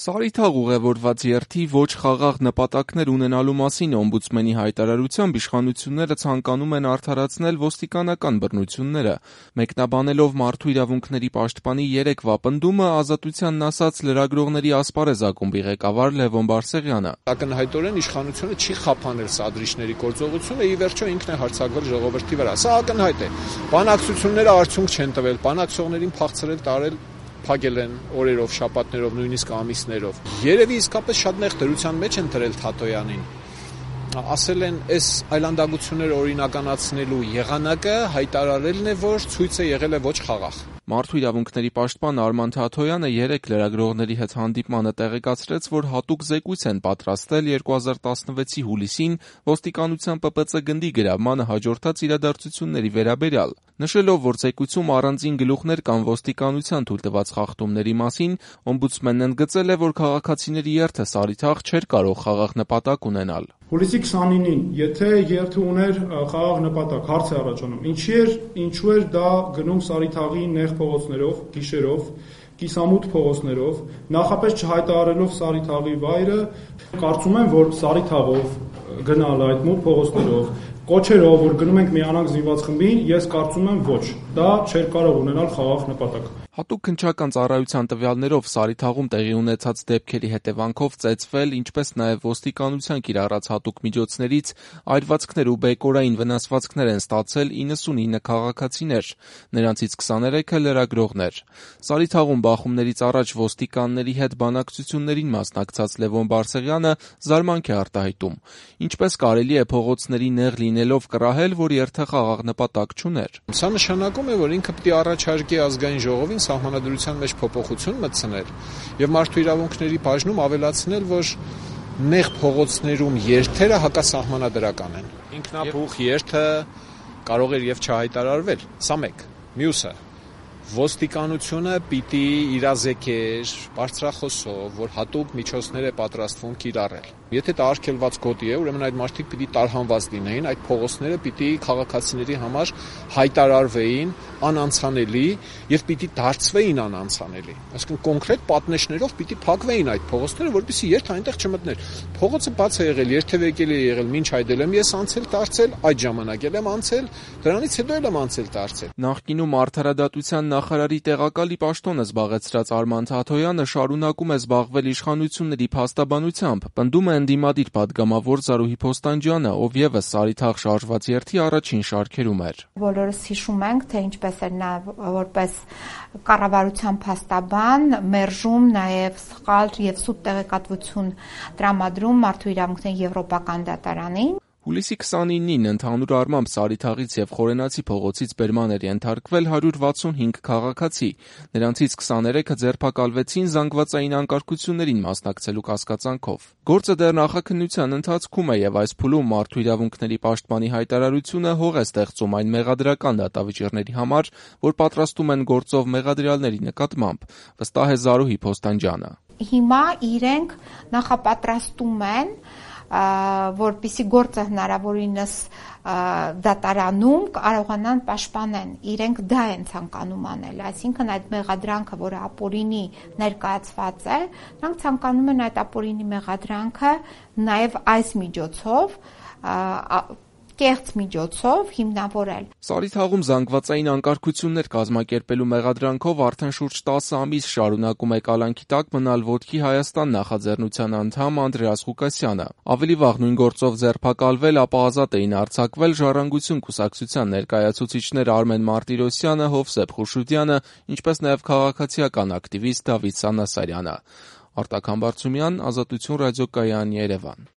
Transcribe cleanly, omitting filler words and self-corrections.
Սարիթաղ ուղևորված երթի ոչ խաղաղ նպատակներ ունենալու մասին օմբուդսմենի հայտարարությամբ իշխանությունները ցանկանում են արդարացնել ոստիկանական բռնությունները։ Մեկնաբանելով Մարդու իրավունքների պաշտպանի երեկվա պնդումը, Ազատությանն ասաց լրագրողների ասպարեզ ակումբի ղեկավար Լևոն Բարսեղյանը. Ակնհայտորեն իշխանությունը չի խափանել սադրիչների գործողությունը, ի վերջո ինքն է հարձակվել ժողովրդի վրա։ Սա ակնհայտ է։ Բանակցությունները արդյունք չեն տվել, բանակցողներին փախցրել տարել փակել են օրերով, շաբաթներով, նույնիսկ ամիսներով։ Երևի իսկապես շատ նեղ դրության մեջ են դրել Թաթոյանին։ Ասել են, այս այլանդակությունները օրինականացնելու եղանակը հայտարարելն է, որ ցույցը եղել է ոչ խաղաղ։ Մարդու իրավունքների պաշտպան Արման Թաթոյանը երեկ լրագրողների հետ հանդիպմանը տեղեկացրեց, որ հատուկ զեկույց են պատրաստել 2016-ի հուլիսին ոստիկանության ՊՊՑ գնդի գրավմանը հաջորդած իրադարձությունների վերաբերյալ։ Նշելով, որ զեկույցում առանձին գլուխներ կան ոստիկանության թույլտված խախտումների մասին, օմբուդսմենն ընդգծել է, որ քաղաքացիների երթը Սարիթաղ չէր կարող խաղաղ նպատակ ունենալ։ Հուլիսի 29-ին, եթե երթը ուներ խաղաղ նպատակ, հարց է առաջանում, ինչու էր դա գնում Սարիթաղի նեղ փողոցներով, գիշերով, կիսամութ փողոցներով, նախապես չհայտարարելով Սարիթաղի վայրը, կարծում եմ, որ Սարիթաղով գնալ այդ մութ փողոցներով, կոչերով, որ գնում ենք միանանք զինված խմբին, ես կարծում եմ ոչ, դա չէր կարող ունենալ խաղաղ նպատակ։ Հատուկ քննչական ծառայության տվյալներով Սարիթաղում տեղի ունեցած դեպքերի հետևանքով ծեծվել, ինչպես նաև ոստիկանության կիրառած հատուկ միջոցներից այրվածքներ ու բեկորային վնասվածքներ են ստացել 99 քաղաքացիներ, նրանցից 23-ը լրագրողներ։ Սարիթաղում բախումներից առաջ ոստիկանների հետ բանակցություններին մասնակցած Լևոն Բարսեղյանը զարմանք է արտահայտում. ինչպես կարելի է փողոցների նեղ լինելով կռահել, որ երթը խաղաղ նպատակ չուներ։ Սա նշանակում է, որ ինքը պետք է առաջարկի ազգային ժողովին սահմանադրության մեջ փոփոխություն մտցնել եւ մարդու իրավունքների բաժնում ավելացնել, որ նեղ փողոցներում երթերը հակասահմանադրական են։ Ինքնաբուխ երթը կարող էր եւ չհայտարարվել։ Սա մեկ։ Մյուսը ոստիկանությունը պիտի իրազեկեր բարձրախոսով, որ հատուկ միջոցներ է պատրաստվում կիրառել։ Եթե դա արգելված գոտի է, ուրեմն այդ մարդիկ պիտի տարհանված լինեին, այդ փողոցները պիտի քաղաքացիների համար հայտարարվեին անանցանելի եւ պիտի դարձվեին անանցանելի։ Այսինքն կոնկրետ պատնեշներով պիտի փակվեին այդ փողոցները, որպեսզի երթ այնտեղ չմտներ։ Փողոցը բաց է եղել, երթևեկել է եղել, մինչ այդ եմ ես անցել դարձել, այդ ժամանակ եմ անցել, դրանից հետո եմ անցել դարձել։ Նախկինում արդարադատության նախարարի տեղակալի պաշտոնը զբաղեցրած Արման Թաթոյանը շարունակում է զբաղվել իշխանությունների փաստաբանությամբ, պնդում է ընդդիմադիր պատգամավոր Զարուհի Փոստանջյանը, ով եւս Սարիթաղ շարժված երթի առաջին շարքերում էր։ Բոլորս հիշում ենք, թե ինչպես էր նա որպես կառավարության փաստաբան մերժում նաեւ սխալ եւ սուտ տեղեկատվություն տրամադրում Մարդու իրավունքների եվրոպական դատարանին։ Հուլիսի 29-ին ընդհանուր առմամբ Սարիթաղից եւ Խորենացի փողոցից բերման էր ենթարկվել 165 քաղաքացի, նրանցից 23-ը ձերբակալվեցին զանգվածային անկարգություններին մասնակցելու կասկածանքով։ Գործը դեռ նախաքննության ընթացքում է եւ այս փուլում Մարդու իրավունքների պաշտպանի հայտարարությունը հող է ստեղծում այն մեղադրական դատավճիռների համար, որ պատրաստում են գործով մեղադրյալների նկատմամբ, վստահ է Զարուհի Փոստանջյանը։ Հիմա իրենք նախապատրաստում են որպիսի գործը հնարավորինս դատարանում կարողանան պաշտպանեն, իրենք դա են ցանկանում անել, այսինքն այդ մեղադրանքը, որը ապօրինի ներկայացված է, նրանք ցանկանում են այդ ապօրինի մեղադրանքը նաև այս միջոցով կեղծ միջոցով հիմնավորել։ Սարիթաղում զանգվածային անկարգություններ կազմակերպելու մեղադրանքով արդեն շուրջ 10 ամիս շարունակում է կալանքի տակ մնալ Ոտքի Հայաստան նախաձեռնության անդամ Անդրեաս Ղուկասյանը։ Ավելի վաղ նույն գործով ձերբակալվել, ապա ազատ էին արձակվել Ժառանգություն կուսակցության ներկայացուցիչներ Արմեն Մարտիրոսյանը, Հովսեփ Խուշուդյանը, ինչպես նաև քաղաքացիական ակտիվիստ Դավիթ Սանասարյանը։ Արտակ Համբարձումյան, Ազատություն ռադիոկայան, Երևան։